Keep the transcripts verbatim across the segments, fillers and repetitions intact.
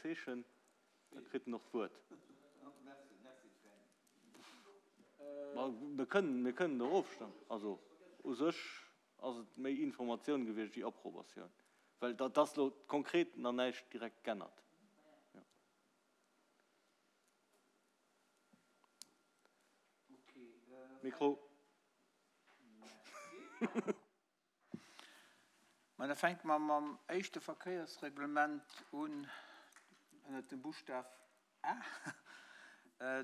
Zeechen, da kritt en och d'Wuert. Ma mir kënnen, mir kënnen do ofstëmmen. Also u sech ass et méi Informatioun gewiescht wéi Approbatioun, well dat ass elo konkret nach näischt direkt g'ännert. Jo. Mikro. Mä da fänke mer mam éischte Verkéiersreglement un, ënnert dem Buschtaf A.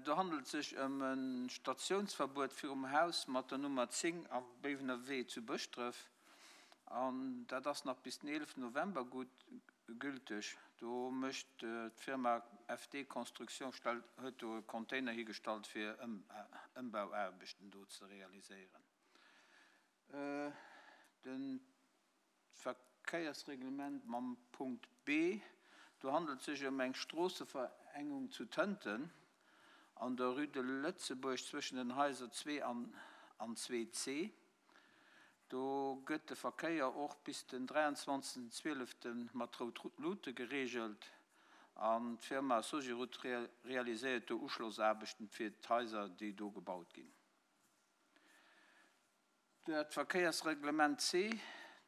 Do handelt et sech ëm e Statiounsverbuet virum Haus mat der Nummer zéng am Béiwener Wee zu Bëschdref. An dat ass nach bis den eeleften November gutt gülteg. Do mécht d'Firma F D Construction stellt, huet do e Container higestallt fir Ëmbauaarbechten do ze realiséieren. Den Verkéiersreglement mam Punkt B, do handelt et sech ëm eng Stroosseverengung zu Tënten an der Rue de Lëtzebuerg zwëschen den Haiser zwee an zwee C. Do gëtt de Verkéier och bis den dräianzwanzegsten zwielefte mat rout Luute gereegelt an d'Firma Sogirut realiséiert do Uschlossaarbechten fir d'Haiser, déi do gebaut ginn. Dat Verkéiersreglement C,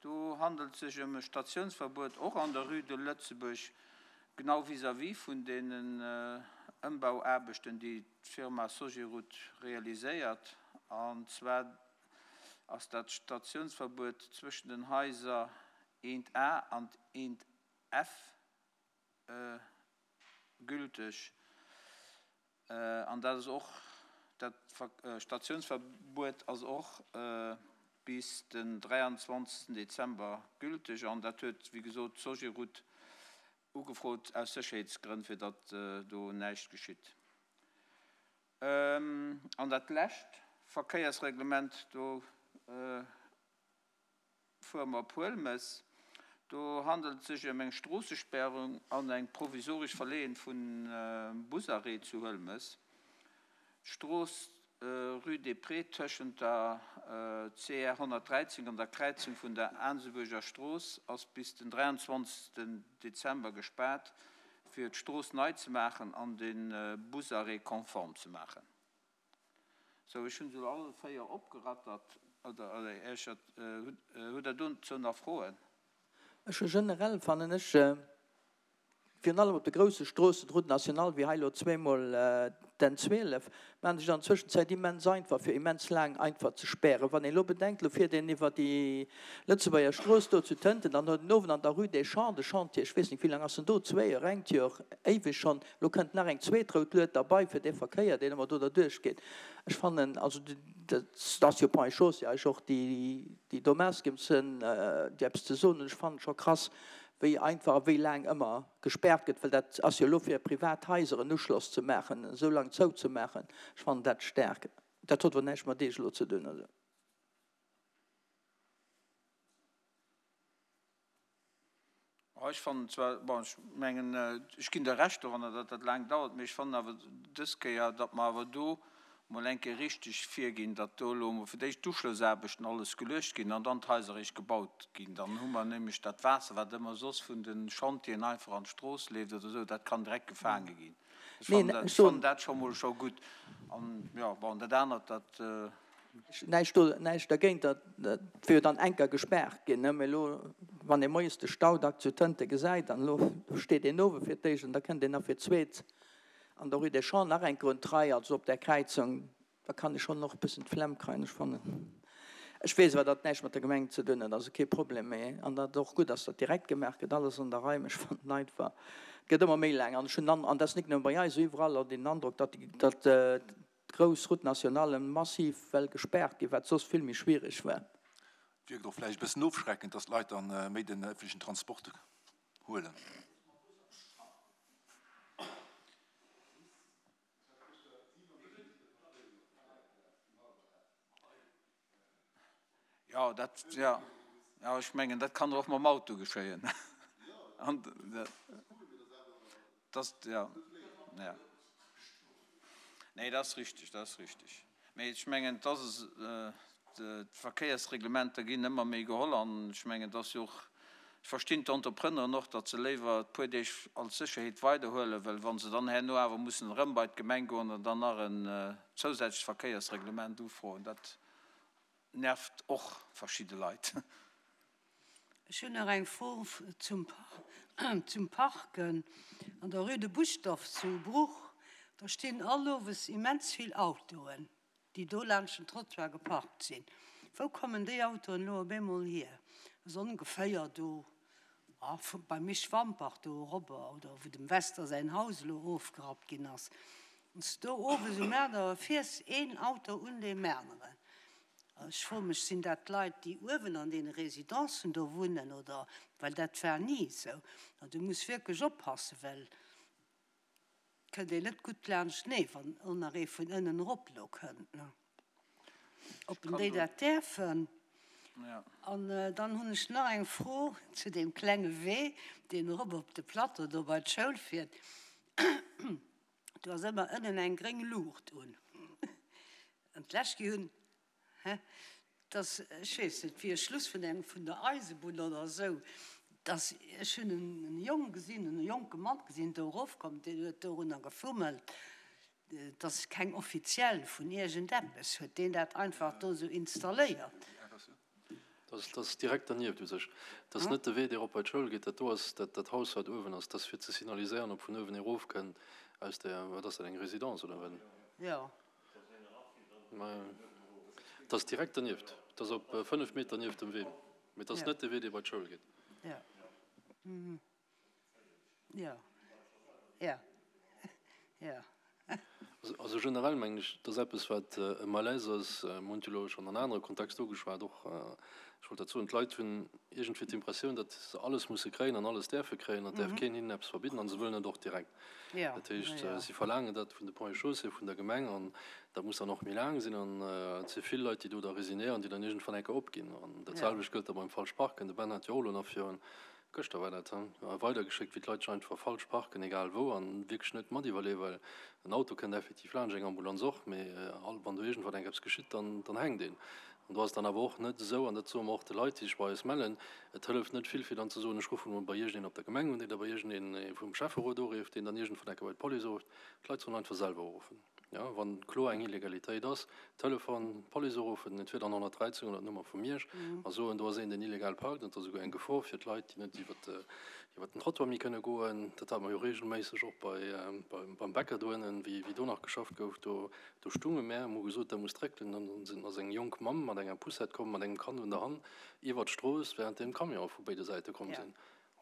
do handelt et sech ëm e Statiounsverbuet och an der Rue de Lëtzebuerg, genau vis-à-vis vun deenen Ëmbauaarbechten, déi d'Firma Sogirut realiséiert. An zwar ass dat Statiounsverbuet zwëschen den Haiser eent A an eent F gülteg. An dat ass och, dat Statiounsverbuet ass och bis den dräianzwanzegsten Dezember gülteg. An dat huet, wéi gesot, d'Sogirut ugefrot aus Sécherheetsgrënn, fir datt do näischt geschitt. An dat lescht Verkéiersreglement, do fuere mer op Huelmes. Do handelt et sech ëm eng Stroossesperrung an eng provisoresch Verleeën vun Busarrêt zu Huelmes. D'Strooss Rue des Prés tëschent der C R honnertdräizéng an der Kräizung vun der Aansebuerger Strooss ass bis den dräianzwanzegsten Dezember gespaart, fir d'Strooss nei ze maachen an de Busarrêt konform ze maachen. Sou, ech hunn se elo all véier opgerattert. Oder Här hutt Der dozou nach Froen? Ech hu generell, fannen ech, virun allem op de grousse Stroossen, d'Route nationale wéi hei elo zweemol d'N zwielef, maachen sech an der Zwëschenzäit immens einfach, fir immens laang einfach ze spären. Wann een elo bedenkt, elo fiert een iwwer déi Lëtzebuerger Strooss do zu Tënten, dann huet en uewen an der Rue des Champs de Chantier, ech weess net, wéi laang ass en do, zwee Joer, engt Joer, éiweg schonn, elo kënnt nach eng zweet rout Lued derbei fir dee Verkéier, deen ëmmer do derduerch geet. Ech fannen, also dat ass jo Ponts et Chaussées eigentlech och, déi déi do maassgebend sinn, déi eppes ze soen hunn. Ech fannen scho krass, wéi einfach a wéi laang ëmmer gespaart gëtt, well dat ass jo elo fir privat Haiser en Uschloss ze maachen, esou laang zouzemaachen. Ech fannen dat staark. Dat huet awer näischt mat Iech elo ze dinn. Also. Ech fannen zwar, bon, ech mengen, ech ginn der Recht doranner, datt dat laang dauert, mee ech fannen awer dës Kéier, datt mer awer do mol eng Kéier richteg virginn, datt do elo emol fir d'éischt d'Uschlossaarbechten alles geluecht ginn an dann d'Haiser eréischt gebaut ginn. Dann hu mer nämlech dat Waasser, wat ëmmer soss vun de Chantieren einfach an d'Strooss leeft oder esou, dat kann direkt gefaange ginn. Ech fannen dat, ech fannen dat scho mol scho gutt. An, jo, bon, dat anert, dat. Näischt do, näischt dergéint, dat wier jo dann enker gespaart ginn, ne? Mee elo, wann ee moies de Stau dack zu Tënte gesäit, an elo steet een owe fir d'éischt an da kënnt een nach fir d'zweet an der Rue des Champs nach enker un d'Rei, also op där Kräizung, da kann ee schonn och e bëssen d'Flemm kréien. Ech fannen, ech weess awer, datt näischt mat der Gemeng ze dinn huet, also kee Problem, mee an datt et och gutt ass, datt direkt gemaach gëtt, alles an der Rei, mee ech fannen einfach, et gëtt ëmmer méi laang an ech hunn an, an dat ass nik nëmme bei eis, iwwerall den Androck, datt datt d'grouss Route nationale massiv well gespaart ginn, wat soss vill méi schwierig war. Et wierkt och vläicht e bëssen ofschreckend, datt d'Leit dann méi den ëffentlechen Transport huelen. Jo, dat, jo, jo, ech mengen, dat kann och mam Auto geschéien. An dat, jo, jo. Nee, dat ass richtig, dat ass richtig. Mee ech mengen, et ass, d'Verkéiersreglementer ginn ëmmer méi geholl an ech mengen, et ass jo och Ech verstinn d'Entrepreneuren och, datt se léiwer e puer Deeg als Sécherheet weiderhuelen, well wa se dann herno awer mussen erëm bei d'Gemeng goen an dann nach en zousätzlecht Verkéiersreglement ufroen, dat nervt och verschidde Leit. Ech hunn nach eng Fro zum zum Parken an der Rue de Buschdorf zu Bruch. Do stinn all Owes immens vill Autoen, déi do laanscht den Trottoir geparkt sinn. Wou kommen déi Autoen elo op eemol hier? Ass ongeféier do beim Misch Wampach do erobber oder wou dem Wester säin Haus elo ofgerappt ginn ass. Wann s de do owes um Aacht Auer fiers, een Auto un deem aneren. Ech froe mech, sinn dat Leit, déi uewen an deene Residencen do wunnen oder, well dat war ni esou. An du muss wierklech oppassen, well et kënnt een net gutt laanschtenee, wann och nach ee vun ënnen erop elo kënnt, ne? Ob en déi dat däerfen. An dann hunn ech nach eng Fro zu deem klenge Wee, deen erop op de Plateau do bei d'Schoul fiert. Do ass ëmmer ënnen eng gréng Luucht un. An d'lescht Kéier hunn, hä, dass, ech weess net, wéi e Schluss vun engem, vun der Eisebunn oder esou, dass, ech hunn en Jong gesinn, en jonke Mann gesinn, do erofkommen, deen huet dorunner gefummelt. Et ass keng offiziell vun iergendeppes. Huet deen dat einfach do esou installéiert? Dat ass direkt dernieft u sech. Dat ass net de Wee, dee erop bei d'Schoul geet. Dat do ass dat Haus, wat uewen ass. Dat ass fir ze signaliséieren, ob vun uewen erofkënnt aus der, wat ass dat, eng Résidence oder wat? Jo. Dat ass direkt dernieft. Dat ass op fënnef Meter nieft dem Wee. Mee dat ass net de Wee, dee bei d'Schoul geet. Jo. Jo. Jo. Jo. Also generell mengen ech, dat ass eppes, wat e Malaise ass. Mir hunn et jo elo schonn an anere Kontexter ugeschwat och. Ech wollt dat soen, d'Leit hunn iergendwéi d'Impressioun, datt se alles musse kréien an alles däerfe kréien an et däerf keen hinnen eppes verbidden a se wëllen et och direkt. Dat heescht, si verlaangen dat vun de Ponts et Chaussées, vun der Gemeng an dat muss dann och méi laang sinn. An et si vill Leit, déi do da resignéieren, déi dann iergendwann eng Kéier opginn. An dat selwecht gëllt da beim falsch Parken. De Ben hat jo och elo nach virun Gëschter war dat, weidergeschéckt, wéi d'Leit sech einfach falsch parken, egal wou, an wierklech net mat iwwerleeën, well en Auto kënnt effektiv laanscht, eng Ambulanz och, mee wann do iergendwann eng eppes geschitt, dann, dann hänkt een. An do ass et dann awer och net esou, an dat soe mer och de Leit, déi sech bei eis mellen, et hëlleft net vill, fir dann ze soen, ech ruffen emol bei iergendeen op der Gemeng un, deen da bei iergendeen vum Schäfferot urifft, deen dann iergendwann enke bei d'Police urifft. D'Leit sollen einfach selwer uruffen. Jo, wann kloer eng Illegalitéit ass, Telefon, d'Police uruffen, entweder an honnertdräizéng oder d'Nummer vu Miersch, a soen, do ass een, deen illegal parkt, an et ass esouguer eng Gefor fir d'Leit, déi net iwwer den Trottoir méi kënne goen. Dat hate mer jo regelméisseg och bei, beim Bäcker do ënnen, wéi do nach geschafft gouf. Do, do stunge mär, hu gesot, der musst dréckelen. An dann sinn, ass eng jonk Mamm mat enger Poussette komm, mat engem Kand un der Hand, iwwer d'Strooss, währenddeem d'Camionë vu béide Säite komm sinn.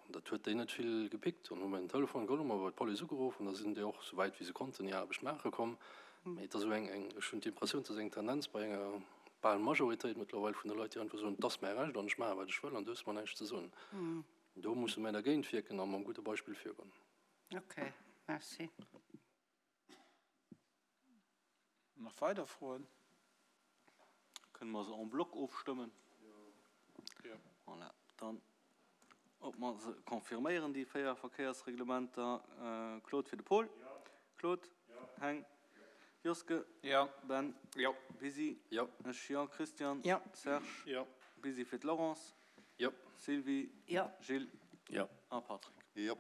An dat huet déi net vill gepickt. Dann hu mer en Telefon geholl, hu mer bei d'Police ugeruff an da sinn déi och, sou wäit wéi se konnten, hir Aarbecht maache komm. Mee et ass esou eng, eng, ech hunn d'Impressioun, et ass eng Tendenz bei enger bal Majoritéit mëttlerweil vun de Leit, déi einfach soen, et ass mäi Recht an ech maache wat ech wëll an du hues mer näischt ze soen. Do musse mär dergéint wierken a mam gudde Beispill virgoen. Ok, merci. Nach weider Froen? Kënne mer se en bloc ofstëmmen? Jo. Voilà, dann ob mer se confirméieren, déi véier Verkéiersreglementer. Claude fir de Paul. Claude. Heng. Joske. Jo. Ben. Jo. Bisi. Jo. Ech jo. Christian. Jo. Serge. Jo. Bisi fir d'Laurence. Jo. Sylvie. Jo. Gilles. Jo. A Patrick. Jo.